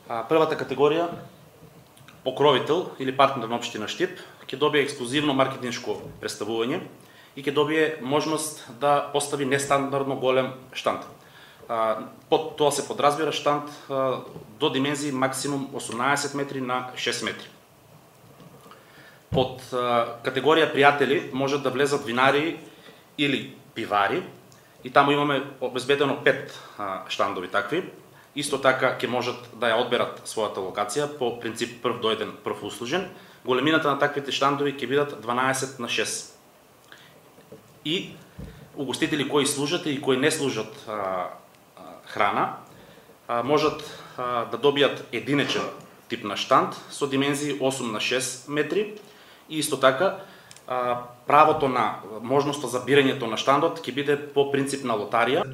Првата категорија, покровител или партнер на општина Штип, ќе добие ексклузивно маркетиншко представување и ќе добие можност да постави нестандардно голем штанд. Под тоа се подразбира штанд до димензии максимум 18 метри на 6 метри. Под категорија пријатели можат да влезат винари или пивари и таму имаме обезбедено 5 штандови такви. Исто така ќе можат да ја одберат својата локација по принцип прв дојден, прв услужен. Големината на таквите штандови ќе бидат 12 на 6. И угостители кои служат и кои не служат храна можат да добијат единечен тип на штанд со димензии 8 на 6 метри и исто така правото на можноста за бирањето на штандот ќе биде по принцип на лотарија.